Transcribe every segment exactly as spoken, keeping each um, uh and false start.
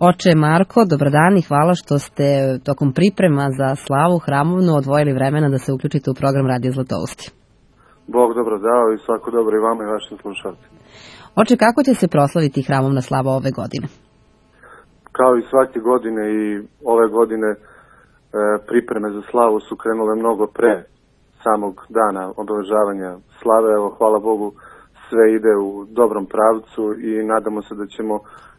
Oče Marko, dobrodan i hvala što ste tokom priprema za slavu hramovnu odvojili vremena da se uključite u program Radio Zlatousti. Bog dobro dao i svako dobro i vama i vašim slušalcima. Oče, kako će se proslaviti hramovna slava ove godine? Kao i svake godine i ove godine e, pripreme za slavu su krenule mnogo pre samog dana obeležavanja slave. Evo, hvala Bogu, sve ide u dobrom pravcu i nadamo se da ćemo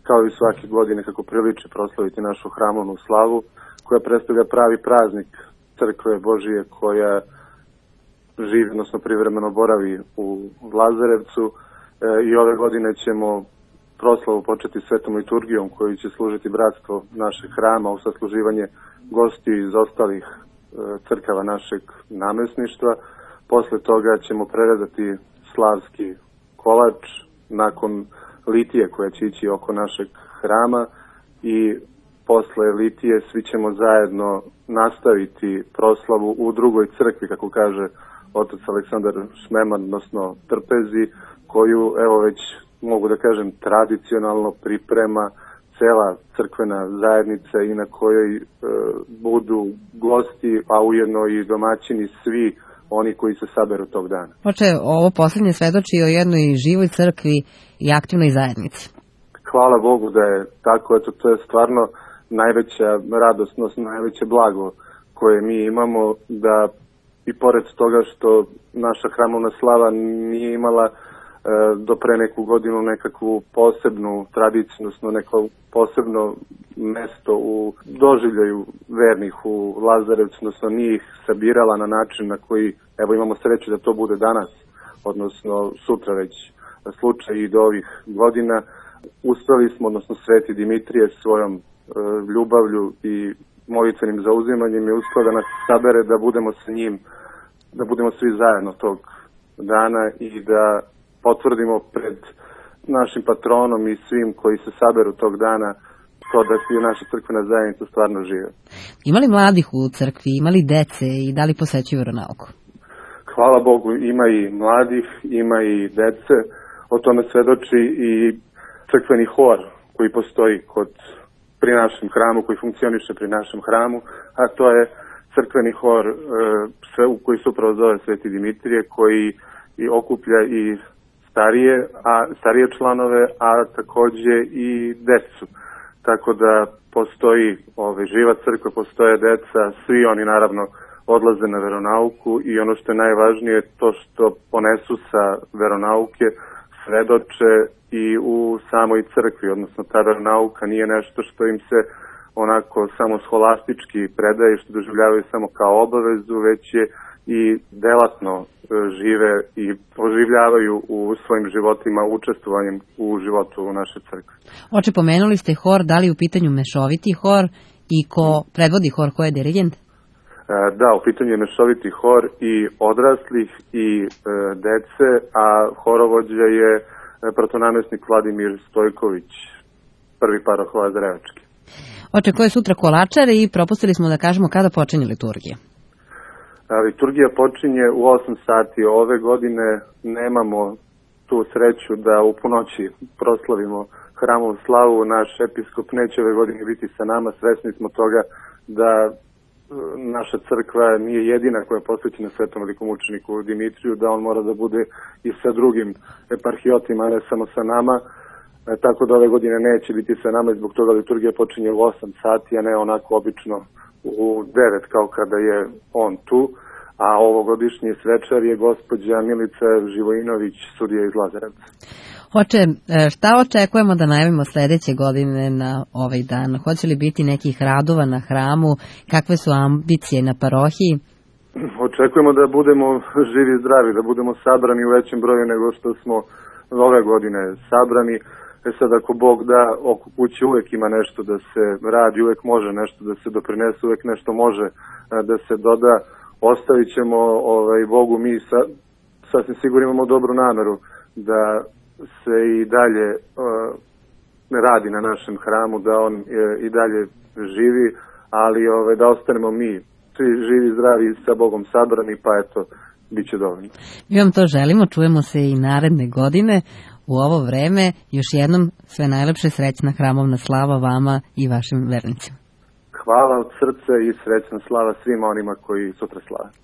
kao i svake godine kako priliči proslaviti našu hramovnu slavu koja predstavlja pravi praznik Crkve Božije koja živi, odnosno privremeno boravi u Lazarevcu e, i ove godine ćemo proslavu početi svetom liturgijom koju će služiti bratstvo našeg hrama u sasluživanje gostiju iz ostalih e, crkava našeg namesništva. Posle toga ćemo prerezati slavski kolač nakon litije koja će ići oko našeg hrama i posle litije svi ćemo zajedno nastaviti proslavu u drugoj crkvi, kako kaže otac Aleksandar Šmeman, odnosno Trpezi, koju evo već mogu da kažem tradicionalno priprema cela crkvena zajednica i na kojoj e, budu gosti, a ujedno i domaćini svi oni koji se saberu tog dana. Oče, ovo poslednje svedoči o jednoj živoj crkvi i aktivnoj zajednici. Hvala Bogu da je tako, eto, to je stvarno najveća radosnost, najveće blago koje mi imamo, da i pored toga što naša hramovna slava nije imala e, do pre neku godinu nekakvu posebnu tradiciju, odnosno neko posebno mesto u doživljaju vernih u Lazarevcu, odnosno nije ih sabirala na način na koji, evo imamo sreću da to bude danas, odnosno sutra već slučaj i do ovih godina. Uspeli smo, odnosno Sveti Dimitrije svojom e, ljubavlju i molitvenim zauzimanjem je uspeo da nas sabere da budemo sa njim, da budemo svi zajedno tog dana i da potvrdimo pred našim patronom i svim koji se saberu tog dana to da je naša crkvena zajednica stvarno žive. Ima li mladih u crkvi, ima li dece i da li posećuju veronauku? Hvala Bogu, ima i mladih, ima i dece. O tome svedoči i crkveni hor koji postoji kod, pri našem hramu, koji funkcioniše pri našem hramu, a to je crkveni hor e, sve, koji se upravo zove Sveti Dimitrije, koji i okuplja i starije, a starije članove, a takođe i decu. Tako da postoji ove, živa crkva, postoje deca, svi oni naravno odlaze na veronauku i ono što je najvažnije to što ponesu sa veronauke svedoče i u samoj crkvi, odnosno ta veronauka nije nešto što im se onako samo scholastički predaje, što doživljavaju samo kao obavezu, već je i delatno žive i oživljavaju u svojim životima učestvovanjem u životu u naše crkve. Oče, pomenuli ste hor, da li u pitanju mešoviti hor i ko predvodi hor, ko je dirigent? Da, u pitanju je mešoviti hor i odraslih i e, dece, a horovođa je protonamestnik Vladimir Stojković, prvi paroh Lazarevački. Oče, ko je sutra kolačar i propustili smo da kažemo kada počinje liturgija? A, liturgija počinje u osam sati. Ove godine nemamo tu sreću da u ponoći proslavimo hramovu slavu. Naš episkop neće ove godine biti sa nama, svesni smo toga da naša crkva nije jedina koja je posvećena svetom velikomučeniku Dimitriju, da on mora da bude i sa drugim eparhijotima, a ne samo sa nama. E, tako da ove godine neće biti sa nama i zbog toga liturgija počinje u osam sati, a ne onako obično u devet kao kada je on tu. A ovogodišnji svečar je gospođa Milica Živojinović, sudija iz Lazarevca. Oče, šta očekujemo da najavimo sledeće godine na ovaj dan? Hoće li biti nekih radova na hramu? Kakve su ambicije na parohiji? Očekujemo da budemo živi i zdravi, da budemo sabrani u većem broju nego što smo ove godine sabrani. E sad, ako Bog da, oko kuće uvek ima nešto da se radi, uvek može nešto da se doprinese, uvek nešto može da se doda. Ostavit ćemo ovaj, Bogu, mi sa, sasvim sigurno imamo dobru nameru da se i dalje uh, radi na našem hramu, da on uh, i dalje živi, ali ovaj, da ostanemo mi svi živi, zdravi, sa Bogom sabrani, pa eto, bit će dovoljno. Mi vam to želimo, čujemo se i naredne godine. u ovo vreme. Još jednom sve najlepše, srećna hramovna slava vama i vašim vernicima. Hvala od srca i srećna slava svima onima koji sutra slave.